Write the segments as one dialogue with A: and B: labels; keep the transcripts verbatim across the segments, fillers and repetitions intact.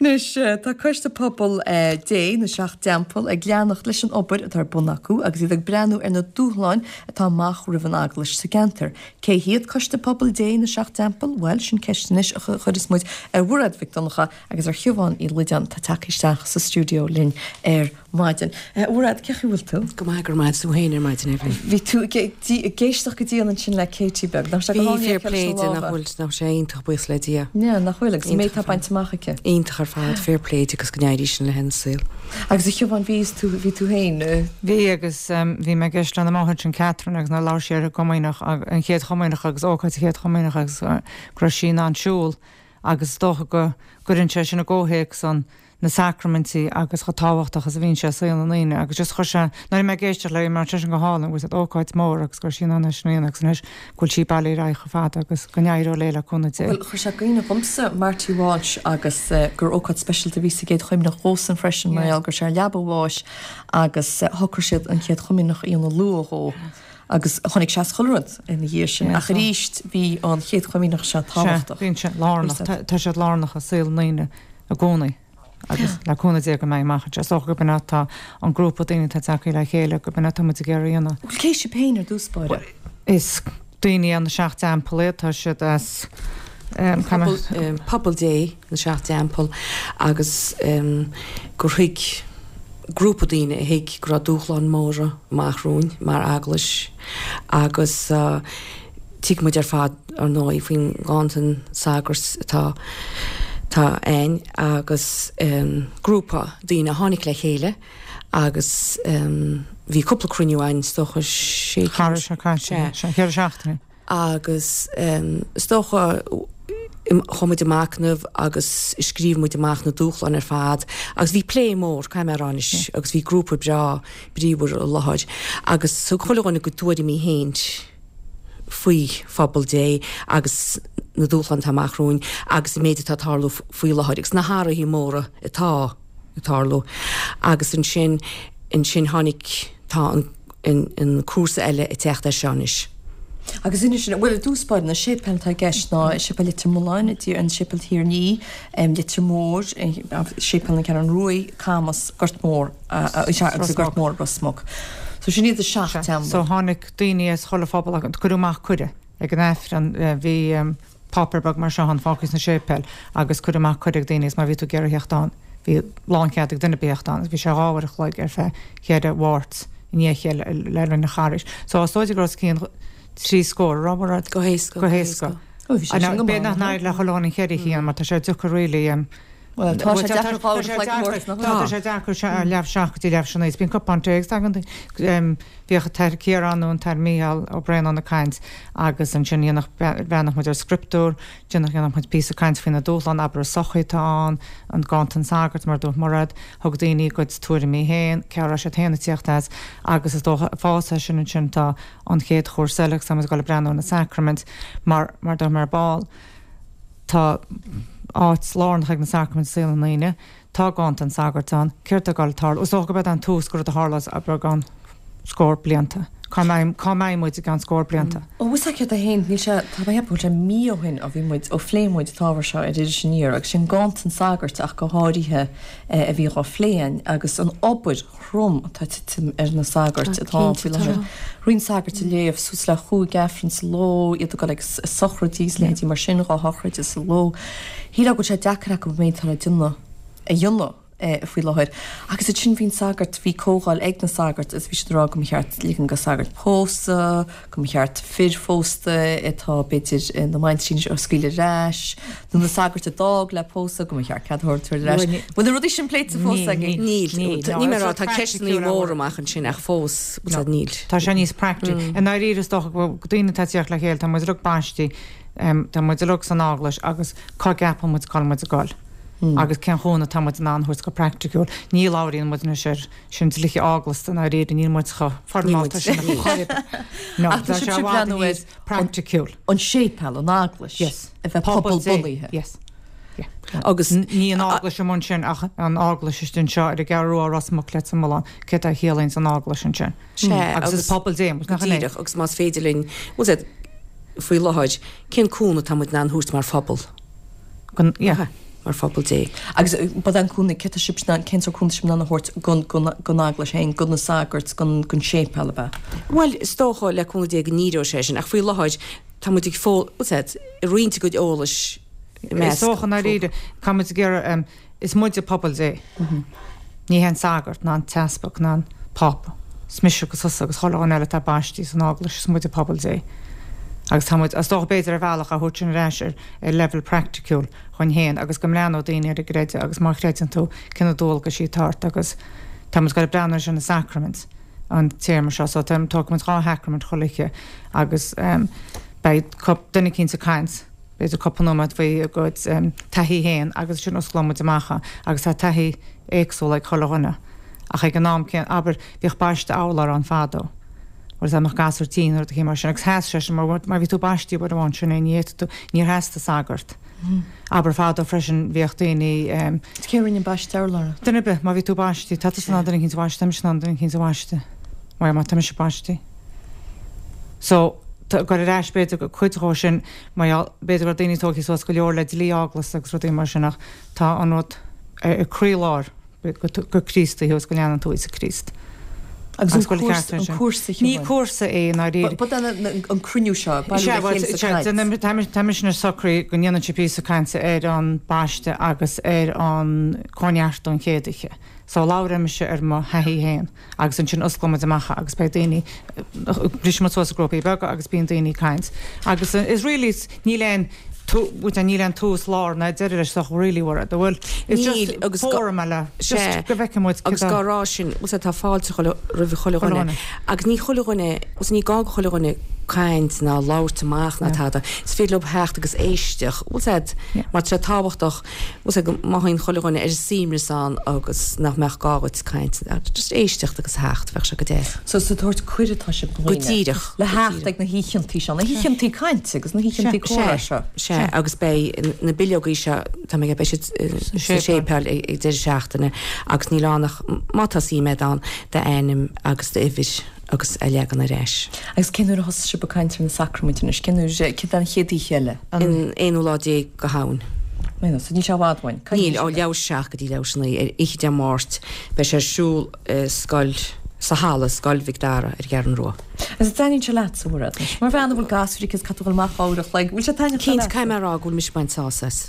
A: Anois, tá Coiste Pobal Dé na Seacht dTeampall ag leanacht leis an obair atá ar bun acu agus iad ag breathnú ar na dúshláin atá amach roimh an eaglais sa gceantar. Cé hiad Coiste Pobal Dé na Seacht dTeampall? Bhuel, sin ceist anois a chuirfeas muid ar Mhairéad Mhic Donncha agus ar Shiobhán Uí Loideáin atá tagtha isteach sa stiúideo linn ar maidin. Mhairéad, cén chaoi a bhfuil tú?
B: Go maith, go raibh maith agat tú féin ar maidin, Evelyn.
A: Bhí tú ag éisteacht go dian ansin le Katie beag. Nach sé go
B: Bhí fair play di, nach bhfuil, nach sé iontach buíochas le Dia.
A: Yeah, nach bhfuil agus an méid atá bainte amach aici.
B: Iontach ar fad, fair play di agus go n-éirí sin léi ina saol.
A: Agus a Shiobhán, bhí tú, bhí tú féin?
C: Bhí agus bhí mé ag éisteacht lena máthair sin Catherine agus nuair a labhair sí ar an gComaoineach, an chéad Chomaoineach agus ócáid an chéad Chomaoineach agus go raibh sí in ann siúl agus is dócha go gcuireann sé sin i gcomhthéacs an na sacraimintí agus chomh tábhachtach is a bhíonn sé i saol na ndaoine agus just chuir sé, nuair a bhí mé ag éisteacht léi mar sé sin go hálainn, bhfuil siad ócáid mór agus go raibh sí in ann é sin a dhéanamh agus anois go bhfuil sí bailithe ar aghaidh chomh fada agus go n-éireoidh léi le cúnamh Dé.
A: Bhuel, chuir sé i gcuimhne dhomsa Marty Walsh agus gur ócáid speisialta a bhí sa gCéad Chomaoineach dhósan freisin mar gheall go raibh sé ar leaba a bháis agus shocraigh siad an Chéad Chomaoineach a dhéanamh luath dhó agus chonaic sé as chuile rud ina dhiaidh sin. Ach arís bhí an Chéad Chomaoineach seo tábhachtach.
C: Sea, bíonn sé lárnach, tá siad lárnach i saol na ndaoine i gcónaí. Agus le cúnamh Dé go mbeidh amach anseo. Is dócha gurb in atá an grúpa daoine atá tagtha le chéile, gurb in atá muid ag iarraidh a dhéanamh.
A: Bhuel, cé sibh féin ar dtús báire?
C: Is daoine ó na Seacht dTeampall iad, tá siad as
B: Pobal, Pobal Dé na Seacht dTeampall agus gur thuig grúpa daoine a thuig go raibh dúshláin mhóra amach romhainn mar eaglais agus Tuigeann muid ar fad, ar ndóigh, faoin nganntan sagart atá atá ann agus grúpa daoine a tháinig le chéile agus bhí cúpla cruinniú ann, is dócha sé
C: Cha raibh sé caite, sé ceithre seachtaine.
B: Agus is dócha chuaigh muid ag machnamh agus scríobh muid amach na dúshláin ar fad agus bhí plé mór, caithfidh mé a rá anois, agus bhí grúpa breá bríomhar i láthair agus thug chuile dhuine a gcuid tuairimí féin. faoi phobal Dé agus na dúshláin atá amach romhainn agus an méid atá ag tarlú faoi láthair agus na hathruithe móra atá ag tarlú. Agus ansin, ansin tháinig, tá an, an, an cúrsa eile ag teacht air seo anois.
A: Agus inis, bhuel, i dtús báire, na séipéil atá i gceist ná Séipéal Leitir Mealláin, an Séipéal Thír an Fhia, Leitir Móir, Séipéal na Ceathrún Ruaidh, Camas, Gort Mór, agus an Gort Mór, Ros Muc. So sin iad na seacht
C: teampall. So tháinig daoine as chuile phobal agus cuireadh amach cuireadh ag an Aifreann. Bhí páipéar beag mar seo ann fágtha sna séipéil agus cuireadh amach cuireadh ag daoine agus má bhí tú ag iarraidh theacht ann bhí lánchead ag duine ar bith theacht ann agus bhí sé dhá uair a chloig ar feadh cheithre Mháirt i ndiaidh a chéile le linn an Charghais. So is dóigh go raibh os cionn trí scór, an raibh, a Mhairéad?
B: Go héasca.
C: Go héasca. B'fhéidir nach n-éireodh le chuile dhuine an cheithre cinn mar tá sé deacair really.
A: Bhuel, tá sé deacair dhá uair a chloig a thabhairt, nach
C: bhfuil? Tá sé deacair leath seacht go dtí leath tar éis a naoi. Bíonn cupán tae agus tagann daoine. Bhíodh an tAthair Ciarán nó an tAthair Mícheál Ó Braonáin ag caint agus ansin dhéanadh, bhreathnódh muid ar scrioptúr, déanadh, dhéanadh muid píosa caint faoi na dúshláin, abair, i sochaí atá ann, an ganntan sagart, mar a dúirt Mairéad, thug daoine a gcuid tuairimí féin, cé a raibh siad féin ag tíocht as agus is dócha, ag fás as sin ansin tá an chéad chúrsa eile agus tá muid ag dul ag breathnú ar na sacraimint mar, mar a dúirt mé ar ball. Tá áit lárnach ag na sacraimint i saol na ndaoine. Tá ganntan sagart ann. Céard tá ag dul ag tarlú? Is dócha gurb é an tús go rud a tharlós abair i gceann scór blianta. Cá mbeidh, cá mbeidh muid i gceann scór blianta?
A: Ó, bhfuil 's agat féin, níl sé, tá mé ag ceapadh go bhfuil sé mí ó shin ó bhí muid, ó phléigh muid an t-ábhar seo ar Iris Aniar agus sin ganntan sagairt ach go háirithe a bhí dhá phlé againn agus an obair throm atá ag titim ar na sagairt atá ann faoi láthair. Roinnt sagairt ag léamh suas le chúig Aifreann sa ló, iad ag dul ag sochraidí is leithéidí mar sin, dhá shochraid sa ló. Shílfeá go bhfuil sé deacair acu an méid atá le déanamh a dhéanamh faoi láthair. Agus ansin bhí an sagart, bhí comhdháil ag na sagairt agus bhí siad ag rá go mba cheart ligean do shagairt pósadh, go mba cheart fir phósta atá b'fhéidir ina mbaintrí anois a scaoileadh ar ais, nó na sagairt a d'fhág le pósadh, go mba cheart cead a thabhairt ar ais. Bhfuil na rudaí sin pléite fós agaibh?
B: Níl. Níl mé ag rá, tá ceisteanna móra amach ansin ach fós, bhfuil siad, níl.
C: Tá sé níos praiticiúil. I ndáiríre is dócha go bhfuil daoine atá ag tíocht le chéile, tá muid uilig baistí, tá muid uilig san eaglais agus cá gceapann muid cá bhfuil muid ag dul agus cén chúnamh atá muid in ann a thabhairt go praiticiúil. Ní labhraíonn muid anois ar sin dlíthe eaglasta i ndáiríre, níl muid chomh foirmeálta sin ar chor ar bith. No,
A: Ach tá
C: tá sé
A: sibhse
C: i
A: ag
C: bhfad
A: breathnú ar
C: níos praiticiúil.
A: an séipéal, an eaglais,
C: Yes.
A: a bheith
C: Pobal Dé.
A: pobal-bunaithe.
C: Yes. Yeah.
B: Agus
C: Ní an eaglais amuigh ansin ach an eaglais istigh anseo ar an gCeathrú Rua, Ros Muc, Leitir Mealláin, céard a chiallaíonns an eaglais ansin.
B: Sea,
C: Agus is
B: agus
C: pobal Dé muid,
B: go
C: nach in é?
B: díreach, agus más féidir linn, bhfuil 's agat, faoi láthair, cén cúnamh atá muid in ann a thabhairt mar phobal?
C: Go, yeah.
B: mar phobal Dé.
A: Agus bad an cúnamh cé tá sibh in cén sórt cúnamh sibh in ann a thabhairt gon gon gon eaglais féin, gon na sagairt, gon gon séipéal ab ea?
B: Bhuel, is dócha le cúnamh Dé go n-éireoidh sé sin, ach faoi láthair tá muid ag fó, what's that, ag roinnt a gcuid eolais i
C: Is
B: measc
C: dócha ndáiríre, tá muid ag iarraidh, is muide pobal Dé. Ní hé an sagart ná an t-easpag ná an Pápa. Is mise agus tusa agus chuile dhuine eile atá baistí san Eaglais, is muide pobal Dé. Agus tá muid, is dócha b'fhéidir ar bhealach, á thabhairt sin ar ais ar ar leibhéal praiticiúil chugainn féin agus go mbreathnódh daoine ar a gcreideamh agus má chreideann tú cé na dualgaisí atá ort agus tá muid ag goil ag breathnú ar na sacraimint an téarma seo so tá tógfaidh muid dhá shacraimint chuile oíche agus beidh duine eicínt ag caint b'fhéidir cúpla nóiméad faoi a gcuid taithí féin agus ansin osclóidh muid amach é agus tá taithí éagsúil ag chuile dhuine ach ag an am céanna, abair, bhíodh baisteadh urláir ann fadó, bhuel dá mbeadh gasúr tinn nó rud eicínt mar sin agus sheas sé sin mar mar bhí tú baistí uair amháin sin é ní fhéadfadh tú, níor theastaigh sagart. Abair fadó freisin bhíodh daoine.
A: Cé a rinne an baisteadh urláir?
C: Duine ar bith, má bhí tú baistí, tá tusa in ann duine eicínt a bhaisteadh, tá mise in ann duine eicínt a bhaisteadh, mar má tá mise baistí. So, tá, goil ar ais b'fhéidir go cuid dhó sin, mar gheall, b'fhéidir go raibh daoine tógtha suas go leor le dlí eaglasta agus rudaí mar sin ach tá an rud ar croílár gur Críostaí thú agus go leanann tú Íosa Críost.
A: Agus an cúrsa, an cúrsa
C: Ní cúrsa é i ndáiríre.
A: But an an cruinniú seo, bailiú le chéile sa chaint.
C: Tá mise anois socraithe go ndéanfainn píosa cainte ar an baisteadh agus ar an cóineartú an chéad oíche. So labhróidh mise ar mo thaithí féin agus ansin osclóidh muid amach é agus beidh daoine, brisfidh muid suas i grúpaí beaga agus bíonn daoine ag caint. Agus is really, níl aon, níl aon tús, lár ná deireadh leis ach really bhfuil, bhfuil, it's just
B: Níl agus go,
C: fóram eile,
B: sea,
C: just go bhfeicfidh muid
B: agus
C: cad a,
B: gá rá sin, bhfuil sé, tá fáilte chuile, roimh chuile
C: chuile
B: dhuine
C: dhuine.
B: agus ní chuile dhuine, bhfuil sé, ní gá go chuile dhuine caint ná labhairt amach ná
C: Yeah.
B: tada, is féidir leo theacht agus éisteacht, bhfuil sé,
C: Yeah.
B: mar tá sé tábhachtach, bhfuil sé, go mothaíonn chuile dhuine ar a suaimhneas ann agus nach mbeadh gá dhuit caint, just éisteacht agus theacht, bheadh sé go deas.
A: So so tabhairt cuireadh atá sibh do
B: Go
A: dhaoine
B: díreach,
A: le
B: go
A: theacht
B: díreach.
A: ag na hoícheantaí seo, na hoícheantaí cainte agus na hoícheantaí comhrá seo.
B: Sea, agus beidh na bileogaí seo, tá mé ag, beidh siad sa
C: séipéal.
B: séipéal ag ag deireadh seachtaine agus níl ann ach má tá suim agat ann, d'ainm agus d'uimhir agus a leagan ar ais.
A: Agus cén uair a thosaigh sibh ag caint ar na sacraimintí anois? Cén uair, céard é an chéad oíche eile?
B: An aonú lá déag de Shamhain.
A: Méadú, so níl sé i bhfad uainn.
B: Níl, ó leathuair tar éis a seacht go dtí leathuair tar éis a naoi ar oíche Dé Máirt. Beidh sé ar siúl i scoil, sa halla, Scoil Mhic Dara ar an gCeathrú Rua.
A: Agus an dtaitníonn sé leatsa, a Mhairéad, anois? Mar bhean a bhfuil gasúir aici is caithfidh tú a dhul amach uair a chloig, bhfuil sé taitneamhach
B: Cinnte,
A: leatsa?
B: caithfidh mé a rá go bhfuil mise ag baint sásamh as.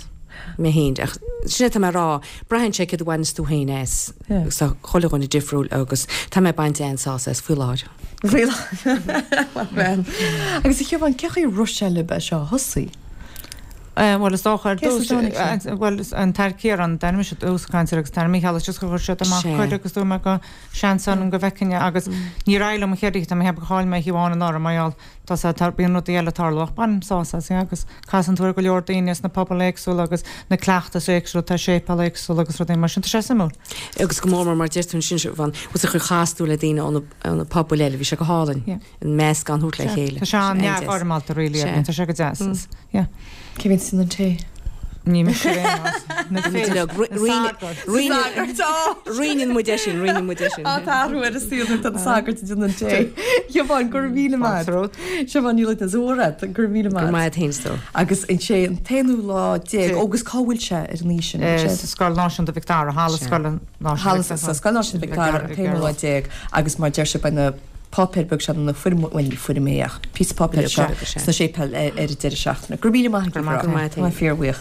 B: Mé féin, ach sin é atá mé a rá, braitheann sé céard a bhaineas tú féin as.
A: Yeah.
B: Agus tá chuile dhuine difriúil agus tá mé ag baint an-sásamh as faoi láthair.
A: Faoi láthair. Agus a Shiobhán, cé chaoi a raibh sé libh é seo a thosaí?
C: Bhuel, is dócha ar
A: Cé as
C: dtús,
A: a dtáinig sé?
C: bhuel, an tAthair Ciarán, d'ainm mise dtús caint air agus an tAthair Mícheál, is just gur chuir siad amach
B: Sea.
C: cuireadh agus dúirt mé go seans ann go bhfeicfinn é agus níor éirigh liom an chéad oíche, tá mé ag ceapadh gur chaill mé oíche amháin anuraidh mar gheall tá sé, tá, bíonn rudaí eile ag tarlú ach bainim sásamh as, yeah, agus casann tú ar go leor daoine as na pobail éagsúla agus na cleachtais éagsúla, tá séipéil éagsúla agus rudaí mar sin, tá sé suimiúil.
B: Agus go mór mór mar deir tú ansin, Siobhán, bhfuil sé chur chas tú le daoine ó na, ó na pobail eile, bhí sé go hálainn.
C: Yeah.
B: An meascán a thabhairt le chéile.
C: Tá sé an-neamhfhoirmeálta really,
B: Sea.
C: tá sé go deas. is- Yeah.
A: Cé bhíonn sin an tae?
C: Ní mise ar aon nós. Na fir, na sagairt.
B: Roinneann muid é sin, roinneann muid é sin.
A: Á tá athrú ar an saol nuair atá an sagart ag déanamh an tae. Siobhán, go raibh míle maith. Siobhán Ní Loinsigh, go raibh míle
B: Go
A: maith.
B: maith féin stór.
A: Agus an sé an t-aonú lá déag,
C: Déag.
A: agus cá bhfuil sé ar an oíche sin?
C: Eh,
A: Sé-
C: sa Scoil Náisiúnta Mhic Dara, Halla Scoile Náisiúnta
A: Halla
C: Mhic Dara.
A: sa Scoil Náisiúnta Mhic Dara an t-aonú lá déag agus mar deir sé beidh na páipéir beag seo na foirm bhuel ní foirm é ach píosa páipéir seo
B: Beag, sea.
A: sna séipéil ar ar an deireadh seachtaine. Go raibh míle maith
B: Go raibh maith
A: agat.
B: agat.
A: Tá fíorbhuíoch.